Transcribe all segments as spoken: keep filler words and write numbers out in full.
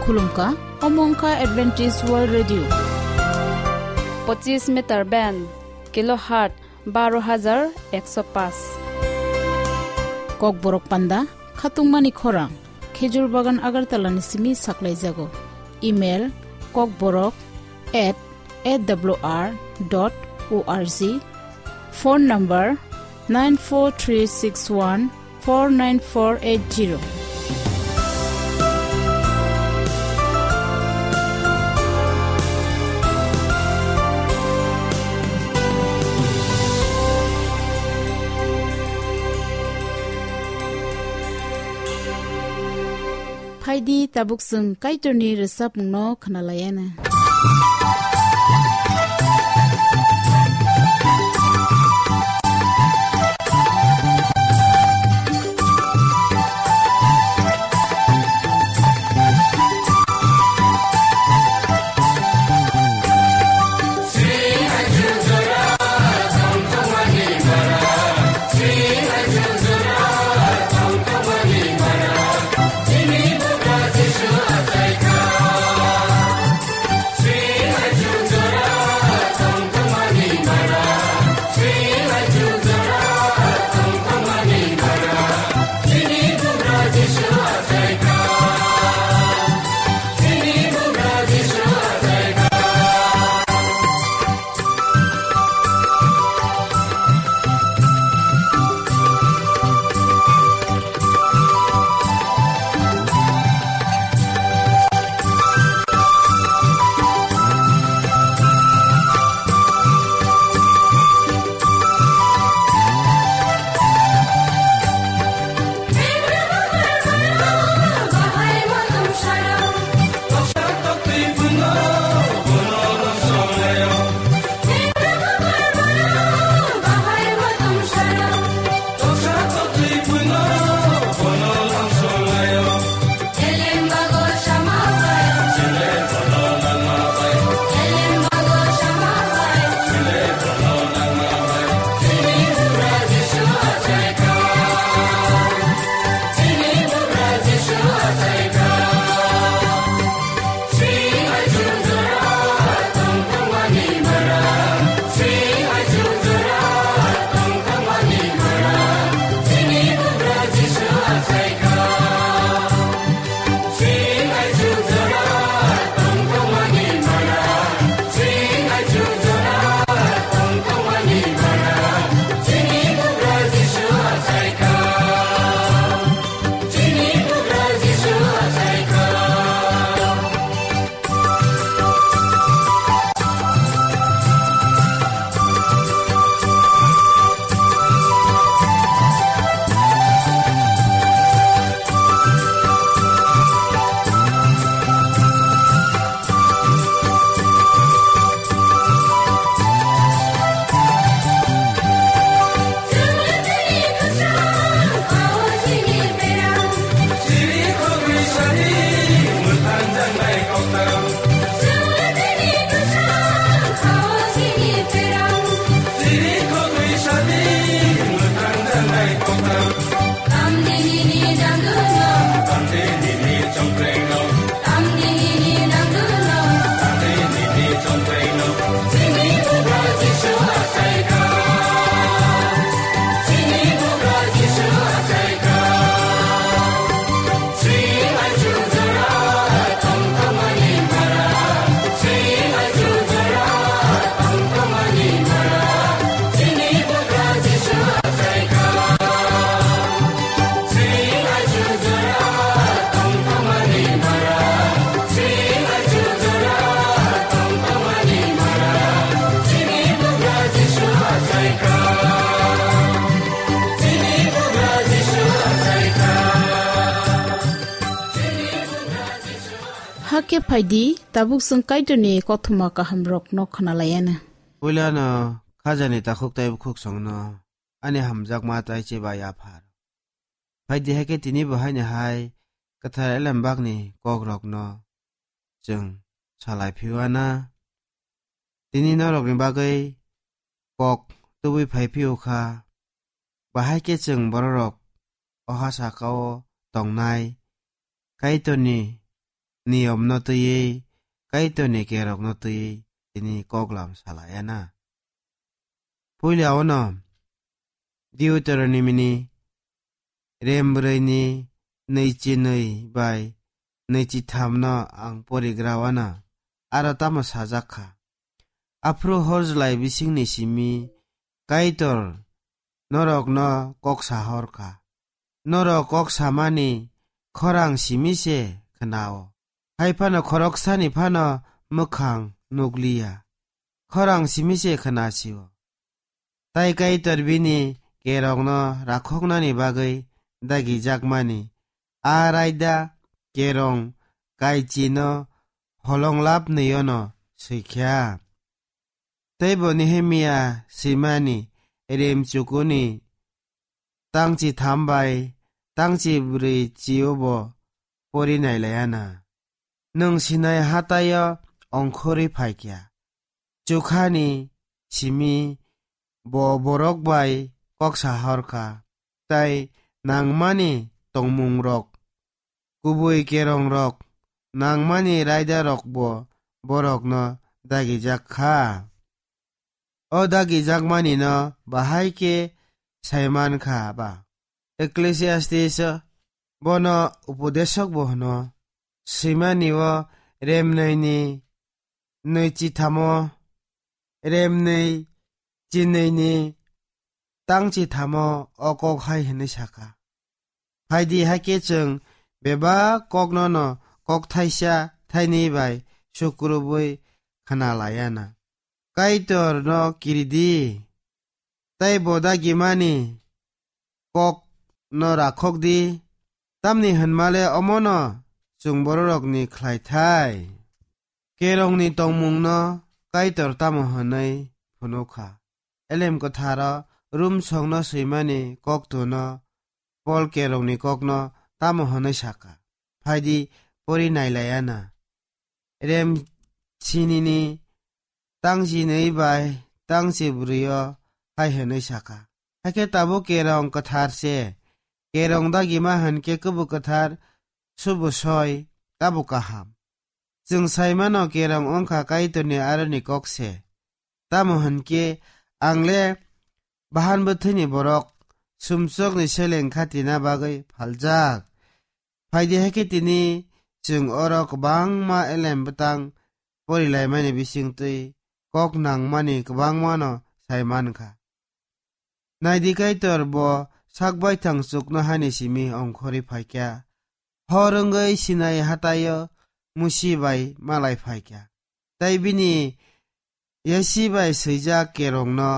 Khulumkha, omo wngkha Adventist World Radio. Pochis meter band, kilohertz baro hajar ekso paanch. Kokborok panda, khatungmani khorang, Khejur Bagan Agartala ni simi saklaijago. Email, kokborok at A W R dot O R G. Phone number, nine four three six one four nine four eight zero. Phaidi, tabuk chwng Kaitorni rwchapmungno khwnalaiana. Hakhe phaidi, tabuk chwng Kaitorni kothoma kahamrokno khwnalaiana. Puilano khajani takhuk tei bukhuk songno ani hamjakma tei chibai aphar. Phaidi, hakhe tini bo haini hai kwthar elembakni kokrokno chwng salai phiwana. Tini norokni bagwi kok tubui phai phiyokha, bahai khe chwng bororok o ha sakao tongnai Kaitorni niyomno twiwi, Kaitorni kerokno twiwi tini koklam salaiya na. Puila ono Deuteronomy ni rem brwi ni nwichi nwi bai nwichi tham no ang porigra wana, aro tamo sajak kha. Aphuru horjlai bisingni simi Kaitor norokno kok sahor kha. Norok kok samani khorang simi se khnao. Hai phano khoroksani phano mwkhang nukliya. Khorang simi se khnasio. Tai Kaitor bini kerongno rakhoknani bagwi dagijakmani a raida kerong kaichino holonglapnwiono swikha. Teibo Nehemia swimani remchukuni tangchi tham bai tangchi brwi chiobo pori nailaiana. Nwng Sinai hataio ongkhorwi phaikha. Chukhani simi bo borok bai kok sahor kha, tai nangmani tongmungrok, kubui kerongrok, nangmani raidarokbo borokno dagijak kha. O dagijakmanino bahai khe saiman kha ba? Ecclesiastes bono upodesok bo hwno, swimani o remnwini nwi chithamo, remnwi chinwini tang chithamo o kok hai hwnwi saka. Phaidi hakhe chwng bebak kokno no kok thaisa thainwi bai sukrubwi khna laiya na. Kaitor no kiridi, tei bo dagimani kok no rakhok di, tamni hwnmale omono chwng bororokni khlai thai. Kerongni tongmungno Kaitor tamo hwnwi phunukha? Elem kwtharo Rum songno swimani koktuno Pol kerongni kokno tamo hwnwi saka? Phaidi pori nailaiya na. Rem sinini tang chinwi bai tang chibrwi o hai hwnwi saka. Hakhe tabuk kerong kwthar se. Kerong dagima hwnkhe kubuk kwthar, subu soi, tabuk kaham. Chwng saimano kerong wngkha Kaitorni aroni kok se. Tamo hwnkhe ang le bahan bwthwini borok, sumsokni seleng khatina bagwi phaljak. Phaidi hai khe tini chwng oro kwbangma elem bwtang porilaimani bisingtwi kok nangmani kwbangmano sai mankha. Naidi Kaitor bo sak baithang chuknohani simi ongkhorwi phaikha. Hor wngwi Sinai hataio Musi bai malai phaikha. Tei bini yasi bai swijak kerongno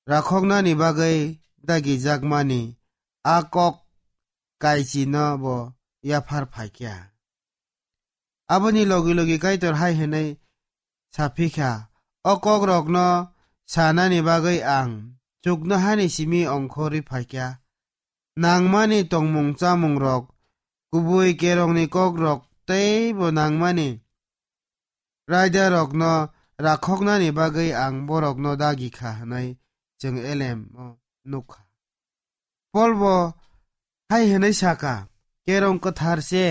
rakhoknani bagwi dagijakmani a kok kaichino bo yaphar phaikha. Aboni logi logi Kaitor hai hwnwi saphi kha, "O kokrokno sanani bagwi ang chuknohani simi ongkhorwi phaikha. Nangmani tongmung chamungrok, kubui kerongni kokrok tei bo nangmani raidarokno rakhoknani bagwi ang borokno dagi kha," hwnwi chwng elem o nukha. Pol bo hai hwnwi saka, "Kerong kwthar se,"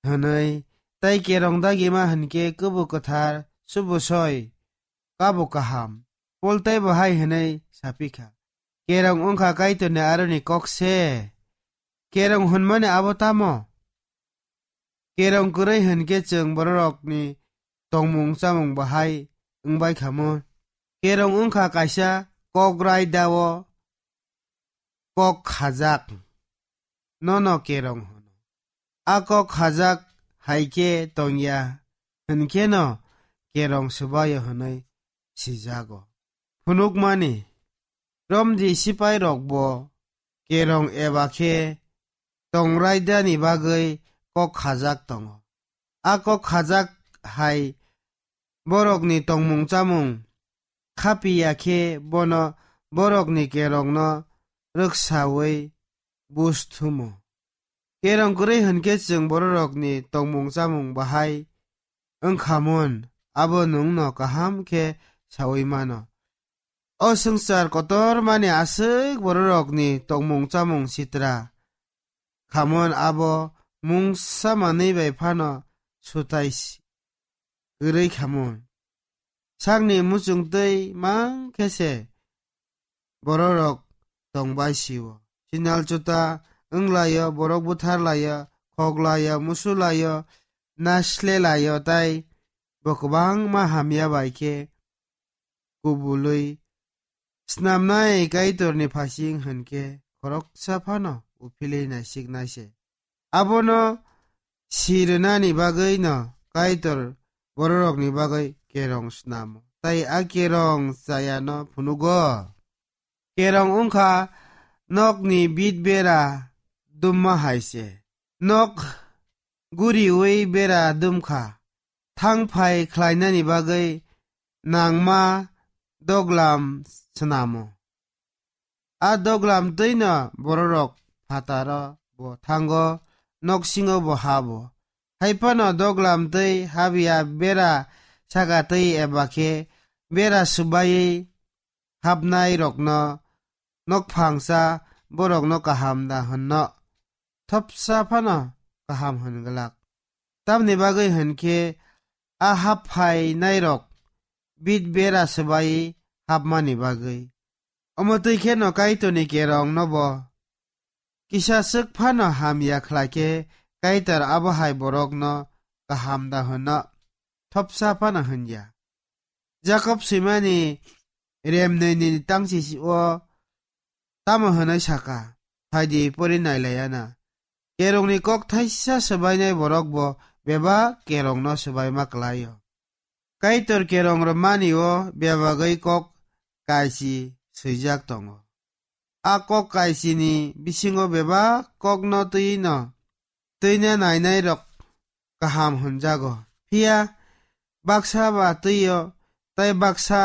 hwnwi, tei kerong dagima hwnkhe kubuk kwthar, subu soi, kabuk kaham. Pol teibo hai hwnwi saphi kha, "Kerong wngkha Kaitorni aroni kok se." Kerong hwnmani abo tamo? Kerong kwrwi hwnkhe chwng bororokni tongmung chamung bahai wngbai kha mun. Kerong wngkha kaisa kok raida o kok khajak, nono kerong hwno. A kok khajak hai khe tongya hwnkheno kerong swbaio hwnwi sijago. Phunukmani, Romni sipairokbo kerong eba khe tong raidani bagwi kok khajak tongo. A kok khajak hai borokni tongmung chamung khapiya khe bono borokni kerongno rwksaui bus thumo. Kerong kwrwi hwnkhe chwng bororokni tongmung chamung bahai wngkha mun, abo nwngno kaham khe saui mano. O swngchar kotormani aswk bororokni tongmung chamung sitra khamon abo mungsa manwi bai phano sutai si-, kwrwi khamu. Sakni muchungtwi mang khe se bororok tongbai sio. Sinal chuta wnglaio, borok butharlaio, khoklaio, musulaio, naslelaio, tai bo kwbangma hamya bai khe kubulwi snamnai Kaitorni phasing hwn khe khoroksa phano uphilwi naisiknai se. Abono si rwnani bagwino Kaitor bororokni bagwi kerong snamo, tai a kerong chayano phunugo. Kerong wngkha nokni bit bera dumma hai se. Nok guriwi bera dumkha, thang phai khlainani bagwi nangma doglam snamo. A doglam twino bororok phataro bo thango, noksingo bo habo. Hai phano doglam twi habya bera saka twi eba khe bera swbaiwi hapnai rokno nokphangsa borokno kaham da hwnno, thopsa phano kaham hwn glak. Tamni bagwi hwn khe a hap phainairok bit bera swbai hapmani bagwi. Omo twi kheno Kaitorni kerongno bo kisa swk phano hamya khlai khe Kaitor abo hai borokno kaham da hwnno, thopsa phano hwnya. Jakob swimani remnwini tangsi o tamo hwnwi saka, phaidi pori nailaiana. Kerongni kok thaisa swbainai borok bo bebak kerongno swbaima kwlaio. Kaitor kerong rwmani o bebagwi kok kaisi swijak tongo. A kok kaisini bisingo bebak kokno twino twina nainairok kaham hwnjago. Phiya baksa ba twio, tai baksa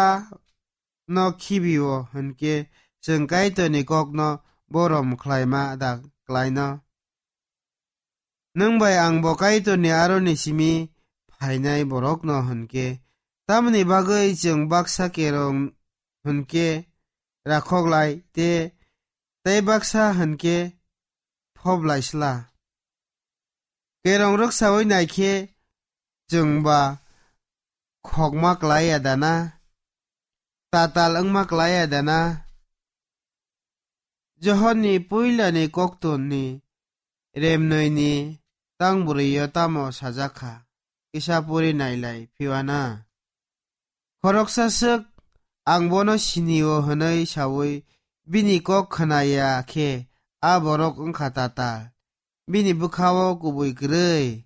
no khibio hwnkhe chwng Kaitorni kokno borom khlaima da klaino? Nwng bai ang bo Kaitorni aroni simi phainai borokno hwnkhe, tamoni bagwi chwng baksa kerong hwnkhe rakhok lai te, tei baksa hwnkhe phob lai sla. Kerong rwksaui naikhe chwng ba khokma klai ya dana? Tatal wngma klai ya dana? Johonni puilani koktonni remnwini tang bwrwio tamo sajak kha, kisa puri nailai phiwana. Khoroksa swk, "Ang bono sini-o," hwnwi saui bini kok khna ya khe a borok wng kha tatal, bini bwkha-o kubui kwrwi.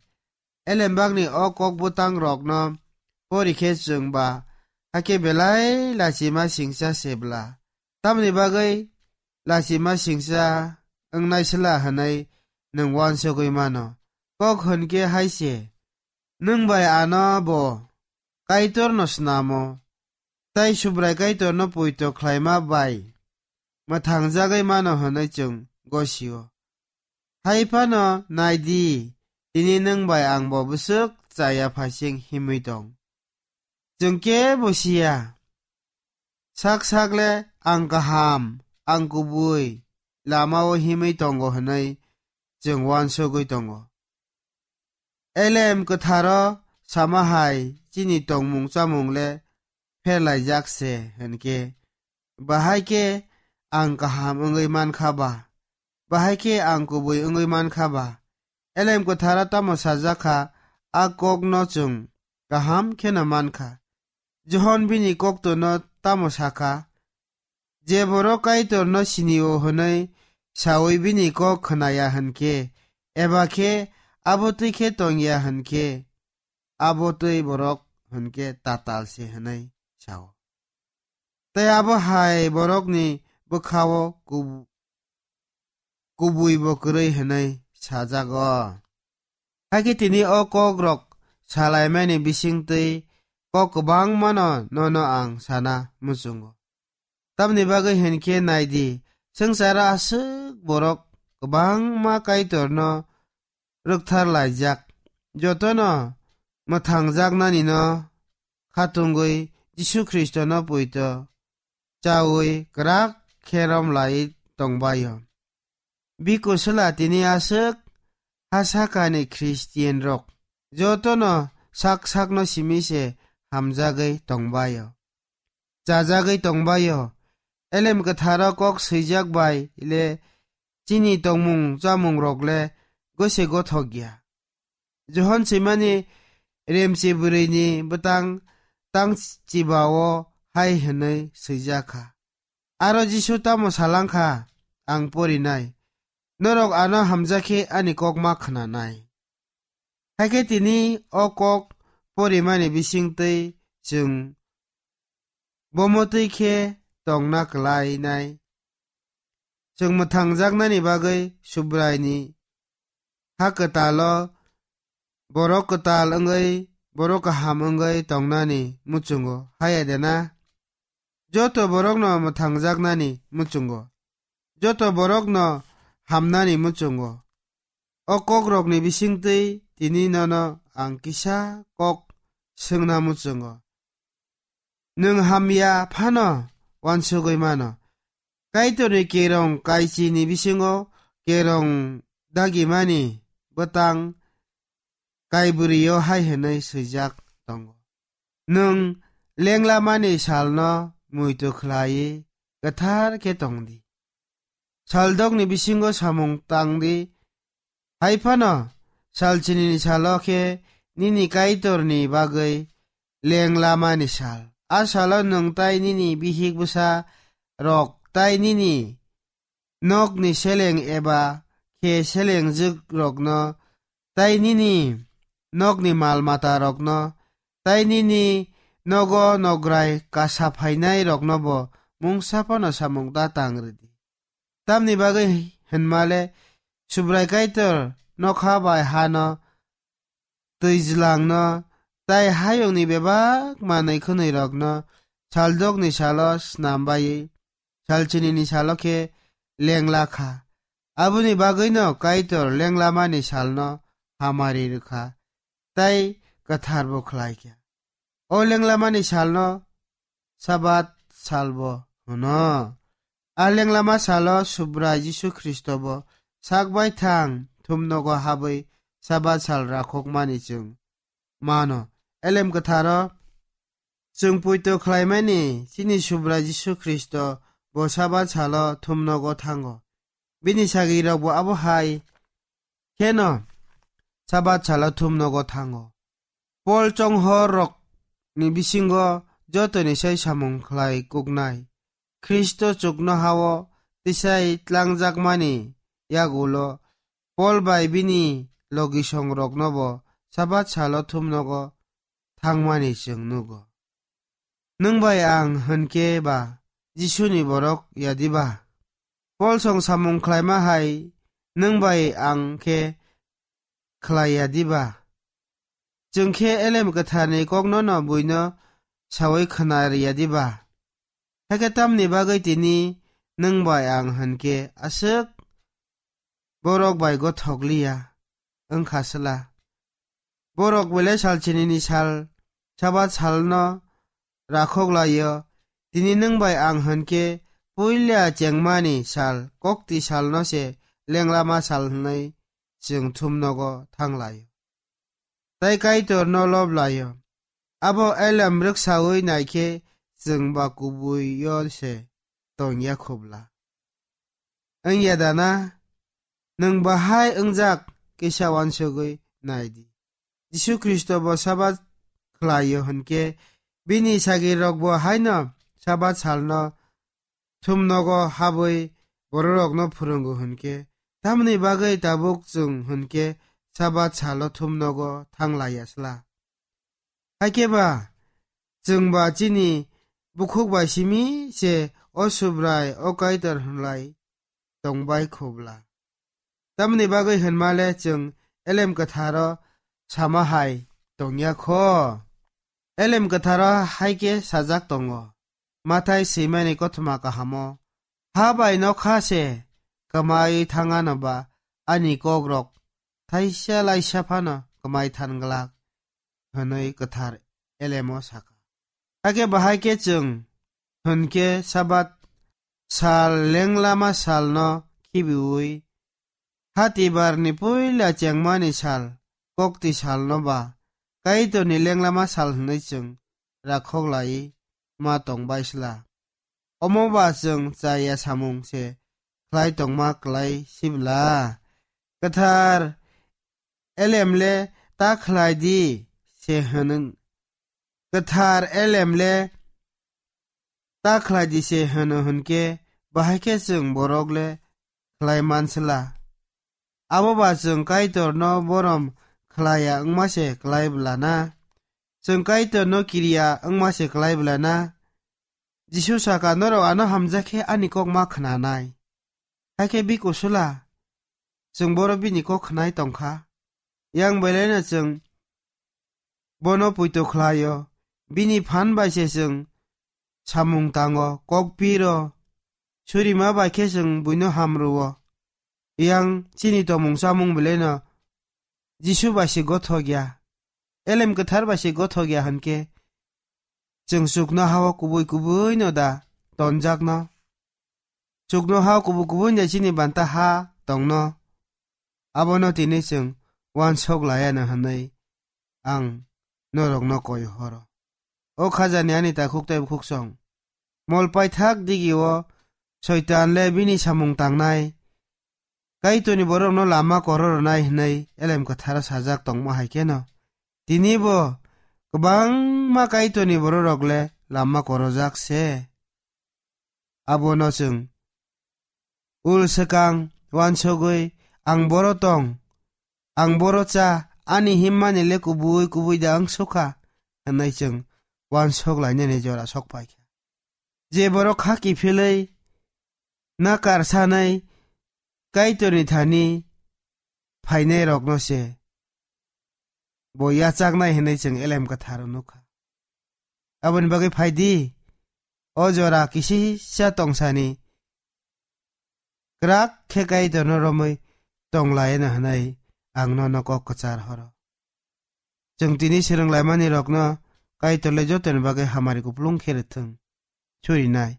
Elembakni o kok bwtang rokno pori khe chwng ba hakhe belai lachima singcha se bla. Tamoni bagwi lachima singcha wngnai sla hwnwi nwng uansugwi mano. Kok hwn khe hai se, nwng bai ano bo Kaitorno snamo, tai Subrai Kaitorno poito khlaima bai mwthangjagwi mano hwnwi chwng gosio. Hai phano nai di, tini nwng bai ang bo bwswk chaya phaising himwi tong. Chwng kebo siya. Sak sak le ang kaham, ang kubui lama-o himwi tongo hwnwi chwng uansugwi tongo. Elem kwtharo sama hai chini tongmung chamung le pherlaijak se hwn khe, bahai khe ang kaham wngwi man kha ba? Bahai khe ang kubui wngwi man kha ba? Elem kwtharo tamo sajak kha, a kokno chwng kaham kheno man kha. Johon bini koktono tamo sa kha? Je borok Kaitorno sini-o hwnwi saui bini kok khna ya hwn khe, eba khe abo twi khe tong ya hwn khe, abo twi borok hwn khe tatal se hwnwi sa-o. Tei abo hai borokni bwkha-o kub-, kubui bo kwrwi hwnwi sajago. Hakhe tini o kokrok salaimani bisingtwi kok kwbangmano nono ang sana muchungo. Tamni bagwi hwn khe nai di, swngcharo aswk borok kwbangma Kaitorno rwkthar laijak, jotono mwthangjaknanino khatungwi Jisu Khristono poito chaui kwrak khe rom lai tongbaio. Biko swla tini aswk ha sakani Khristianrok jotono sak sakno simi se hamjagwi tongbaio, chajagwi tongbaio. Elem Kwtharo kok swijak bai le chini tongmung chamungrok le gose gothok ya. Johon swimani remchi bwrwini bwtang tang chibao hai hwnwi swijak kha, "Aro Jisu tamo salang kha, ang porinai, norok ano hamjakhe ani kok ma khwnanai." Hakhe tini o kok porimani bisingtwi chwng bomotwi khe tongna kwlainai. Chwng mwthangjaknani bagwi Subraini ha kwtalo borok kwtal wngwi, borok kaham wngwi tongnani muchungo, haya de na? Joto borokno mwthangjaknani muchungo, joto borokno hamnani muchungo. O kokrokni bisingtwi tini nono ang kisa kok swngna muchungo. Nwng hamya phano uansugwi mano. Kaitorni kerong kaichini bisingo kerong dagimani bwtang kaibwrwio hai hwnwi swijak tongo, "Nwng lenglamani salno muitu khlaiwi kwthar khe tong di. Saldokni bisingo samung tang di, hai phano salchinini salo khe nini Kaitorni bagwi lenglamani sal. A salo nwng tai nini bihik bwsa rok tai nini nokni seleng eba khe selengjwk rokno tai nini nokni mal mata rokno tai nini nogo nograi kasa phainai rokno bo mungsa phano samung da tang rwdi." Tamni bagwi hwnmale Subrai Kaitor nokha bai hano, twijlangno, tai hayungni bebak manwi khwnwi rokno saldokni salo snam baiwi salchinini salo khe lengla kha. Aboni bagwino Kaitor lenglamani salno hamari rwkha, tai kwtharbo khlai kha. O lenglamani salno Sabat salbo hwno. A lenglama salo Subrai Jisu Khristobo sak baithang thumnogo habwi Sabat sal rakhokmani chwng mano. Elem Kwtharo chwng poito khlaimani chini Subrai Jisu Khristo bo Sabat salo thumnogo thango. Bini sagrirokbo abo hai kheno Sabat salo thumnogo thango. Pol chonghor rokni bisingo jotoni sai samung khlai kuknai Khristo chuknohao tisai tlangjakmani yagulo Pol bai bini logisongroknobo Sabat salo thumnogo thangmani chwng nugo. Nwng bai ang hwn khe ba Jisuni borok ya diba? Pol song samung khlaima hai nwng bai ang khe khlai ya diba? Chwng khe Elem Kwtharni kokno no buino saui khna ri ya diba? Hakhe tamni bagwi tini nwng bai ang hwn khe aswk borok bai gothok liya wng kha sla? Borok belai salchinini sal Sabat salno rakhok lai-o. Tini nwng bai ang hwn khe puila chengmani sal, kokti salno se lenglama sal hwnwi chwng thumnogo thang lai-o. Tai Kaitorno lob lai-o. Abo Elem rwksaui nai khe chwng ba kubui-o se tong ya khobla. Wng ya da na? Nwng bahai wngjak kisa uansugwi nai di. Jisu Khristo bo Sabat khlai-o hwn khe bini sagrirokbo haino Sabat salno thumnogo habwi bororokno phwrwngo hwn khe, tamni bagwi tabuk chwng hwn khe Sabat salo thumnogo thang lai ya sla? Hakhe ba chwng ba chini bukhuk bai simi se o Subrai, o Kaitor hwnlai tong bai khobla. Tamni bagwi hwnmale chwng Elem Kwtharo sama hai tong ya kho. Elem Kwtharo hai khe sajak tongo, Mathai swimani kothoma kahamo, "Ha bai nokha se kwmai thangano ba ani kokrok thaisa laisa phano kwmai than glak," hwnwi kwthar Elemo sakha. Hakhe bahai khe chwng hwn khe Sabat sal lenglama salno khibiui Hatibarni puila chengmani sal, kokti salno ba Kaitorni lenglama sal hwnwi chwng rakhok laiwi ma tong bai sla. Omo ba chwng chaya samung se khlai tongma klai sibla. Kwthar elem le ta khlai di se hwnwng. Kwthar elem le ta khlai di se hwno hwnkhe, bahai khe chwng borok le khlai mansla. Abo ba chwng Kaitorno borom khlaiya wngma se klai bla na? Chwng Kaitorno kiriya wngma se klai bla na? Jisu saka, "Norok ano hamjak khe ani kok ma khnanai." Hakhe bini kusula, chwng boro bini kok khnai tongkha. Yang belaino chwng bono puito khlaio. Bini phan bai se chwng samung tango, kok piro, surima bai khe chwng buino hamruo. Yang chini tomung chamung belaino Jisu bai se gothok ya, elem kwthar bai se gothok ya hwnkhe, chwng chukno hao kubui kubui no da tonjakno? Chukno hao kubui kubui no chini banta ha tongno? Abono tini chwng uansuk laiya no hwnwi ang norokno koi horo. O khajani ani takhuk tei bukhuksong, mol paithak digi o Soitan le bini samung tangnai. Kaitorni borokno lama koro rwnai hwnwi elem kwtharo sajak tongma hai kheno, tini bo kwbangma Kaitorni bororok le lama korojak se. Abono chwng ul swkang uansugwi, "Ang boro tong, ang boro cha, ani himmani le kubui kubui da wng sukha," hwnwi chwng uansuk lainani jora sok pai kha. Je borok kha kiphilwi, nakar sanai Kaitorni thani phainairokno se bo yachaknai hwnwi chwng elem kwtharo nukha. Aboni bagwi phai di, o jora kisisa tongsani kwrak khe Kaitorno romwi tong laino hwnwi ang nono kok kwchar horo. Chwng tini swrwng laimani rokno Kaitor le jotoni bagwi hamari kuplung khe rwthwng. Surinai.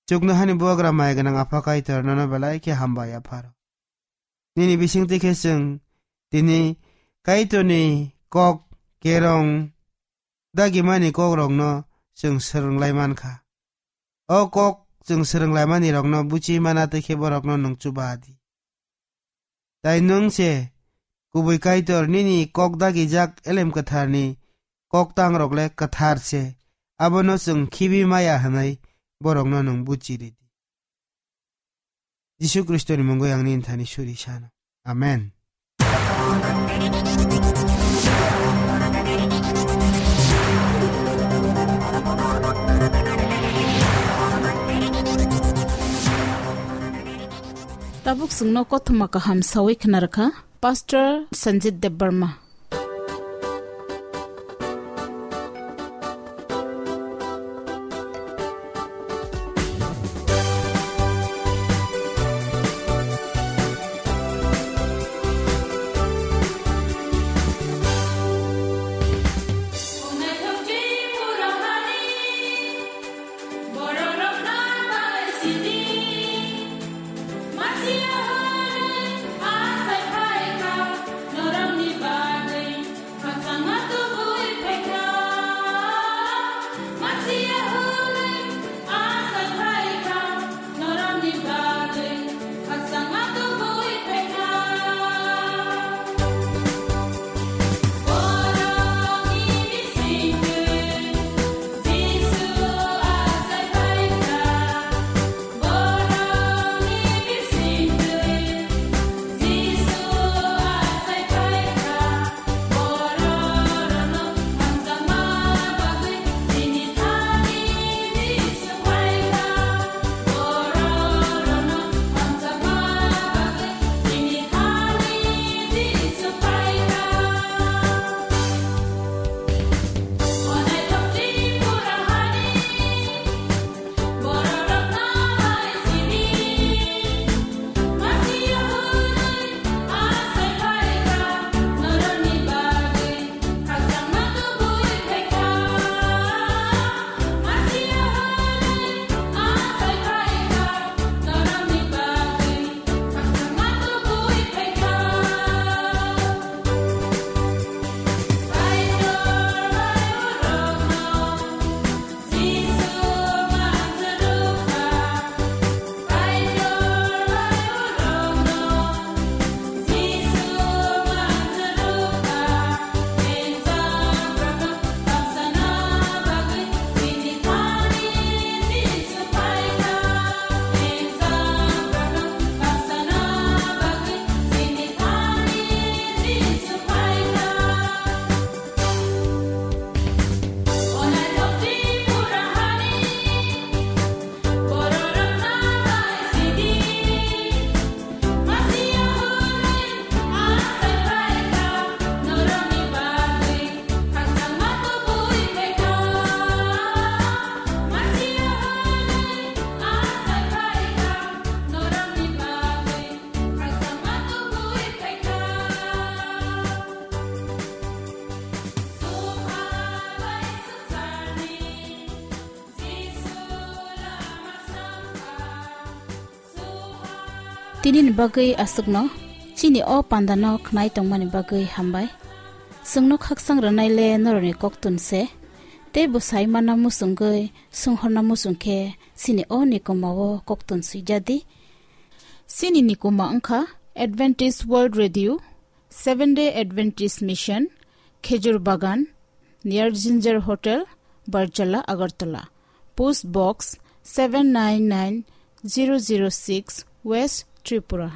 Chuknohani bubagra mai gwnang Apha Kaitor, nono belai khe hambai apharo. Nini bisingtwi khe chwng tini Kaitorni kok kerong dagimani kokrokno chwng swrwng lai man kha. O kok chwng swrwng laimani rokno buchi mana twi khe borokno nwng chuba di. Tai nwng se kubui Kaitor, nini kok dagijak elem kwtharni kok tangrok le kwthar se, abono chwng khibi maya hwnwi borokno nwng buchi ridi. Jisu Khristoni mungwi ang nini thani suri sano. Amen. Tabuk chwngno kothoma kaham sawi khna rwkha Pastor Sanjit Debbarma. Tinini bagwi aswkno chini o pandano khnai tongmani bagwi hambai. Chwngno khakchang rwnaile norokni koktun se, tei bwsai mana muchungwi swnghorna muchung khe chini o nikoma o koktun swijadi. Chini nikoma wngkha Adventist World Radio, Seventh Day Adventist Mission, Khejur Bagan, near Ginger Hotel, Barjala, Agartala. Post Box seven nine nine zero zero six, West Tripura.